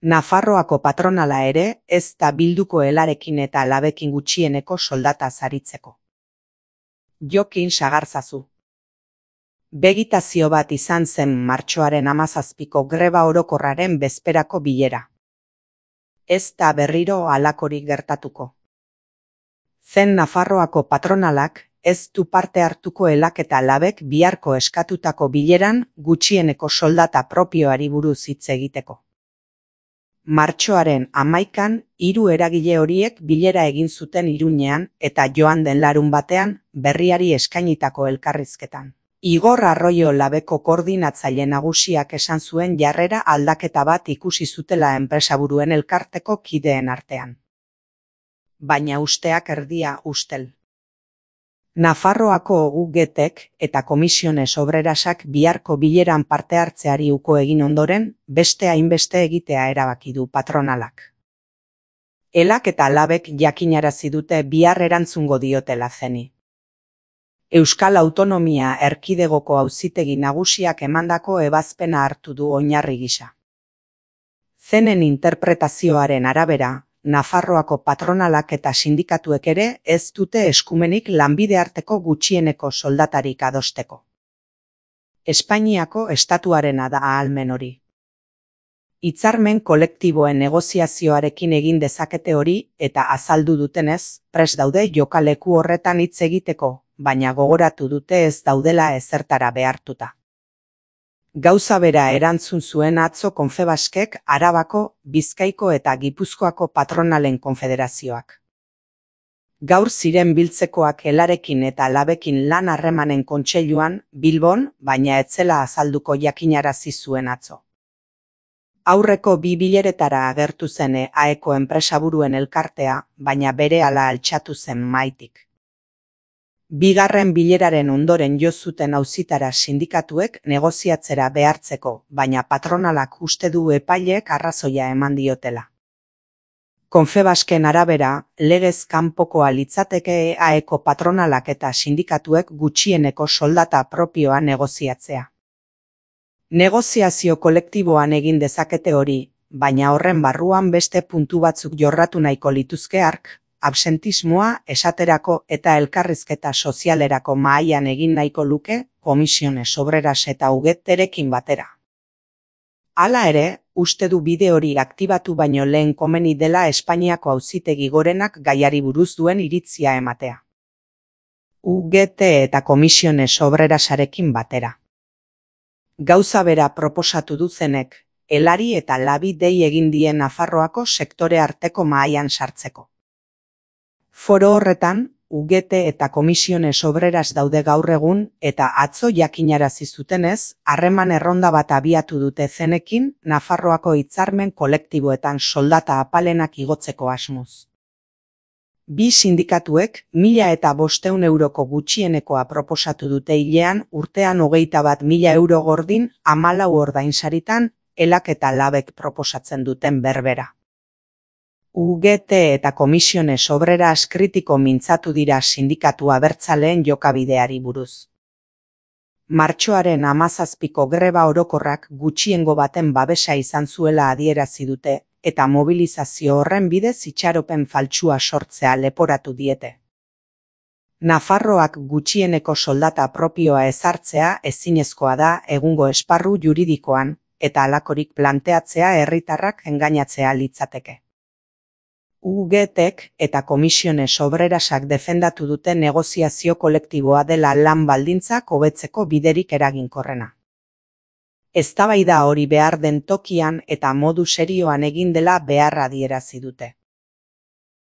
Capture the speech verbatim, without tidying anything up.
Nafarroako patronala ere ez da bilduko elarekin eta labekin gutxieneko soldata saritzeko. Jokin sagarzazu. Begitazio bat izan zen martxoaren hamazazpiko greba orokorraren bezperako bilera. Ez da berriro halakorik gertatuko. Zen Nafarroako patronalak ez du parte hartuko elak eta labek biharko eskatutako bileran gutxieneko soldata propioari buruz hitz egiteko. Martxoaren hamaikan hiru eragile horiek bilera egin zuten Iruñean eta joan den larun batean berriari eskainitako elkarrizketan. Igor Arroyo labeko koordinatzaile nagusiak esan zuen jarrera aldaketa bat ikusi zutela enpresaburuen elkarteko kideen artean. Baina usteak erdia ustel. Nafarroako U G Tek eta Komisiones Obrerasak biharko bileran parte hartzeari uko egin ondoren, beste hainbeste egitea erabaki du patronalak. Elak eta labek jakinarazi dute bihar erantzungo diotela zeni. Euskal Autonomia Erkidegoko Auzitegi Nagusiak emandako ebazpena hartu du oinarri gisa. Zenen interpretazioaren arabera, Nafarroako patronalak eta sindikatuek ere ez dute eskumenik lanbide arteko gutxieneko soldatarik adosteko. Espainiako estatuarena da ahalmen hori. Hitzarmen kolektiboen negoziazioarekin egin dezakete hori eta azaldu dutenez, prest daude jokaleku horretan hitz egiteko, baina gogoratu dute ez daudela ezertara behartuta. Gauza bera erantzun zuen atzo Konfebaskek Arabako, Bizkaiko eta Gipuzkoako patronalen konfederazioak. Gaur ziren biltzekoak elarekin eta labekin lan harremanen kontseiluan, Bilbon, baina etzela azalduko jakinarazi zuen atzo. Aurreko bi bileretara agertu zen E A Eko enpresaburuen elkartea, baina berehala altxatu zen maitik. Bigarren bileraren ondoren jo zuten auzitara sindikatuek negoziatzera behartzeko, baina patronalak uste du epaileek arrazoia eman diotela. Konfebasken arabera, legez kanpokoa litzateke E A Eko patronalak eta sindikatuek gutxieneko soldata propioa negoziatzea. Negoziazio kolektiboan egin dezakete hori, baina horren barruan beste puntu batzuk jorratu nahiko lituzke hark, absentismoa, esaterako eta elkarrizketa sozialerako mahaian egin nahiko luke, Komisiones Obreras eta U G Terekin batera. Hala ere, uste du bide hori aktibatu baino lehen komeni dela Espainiako Auzitegi Gorenak gaiari buruz duen iritzia ematea. U G T eta Komisiones Obrerasarekin batera. Gauza bera proposatu duzenek, elari eta labi dei egin dien Nafarroako sektore arteko mahaian sartzeko. Foro horretan, U G T eta Komisiones Obreras daude gaur egun eta atzo jakinarazi zutenez, harreman erronda bat abiatu dute zenekin Nafarroako hitzarmen kolektiboetan soldata apalenak igotzeko asmoz. Bi sindikatuek mila eta bosteun euroko gutxienekoa proposatu dute hilean urtean hogeita bat mila euro gordin hamalau ordainsaritan elak eta labek proposatzen duten berbera. U G T eta Komisiones Obreras kritiko mintzatu dira sindikatu abertzaleen jokabideari buruz. Martxoaren hamazazpiko greba orokorrak gutxiengo baten babesa izan zuela adierazi dute, eta mobilizazio horren bidez itxaropen faltsua sortzea leporatu diete. Nafarroak gutxieneko soldata propioa ezartzea ezinezkoa da egungo esparru juridikoan, eta halakorik planteatzea herritarrak engainatzea litzateke. U G Tek eta Komisiones Obrerasak defendatu dute negoziazio kolektiboa dela lan baldintzak hobetzeko biderik eraginkorrena. Eztabaida hori behar den tokian eta modu serioan egin dela beharra adierazi dute.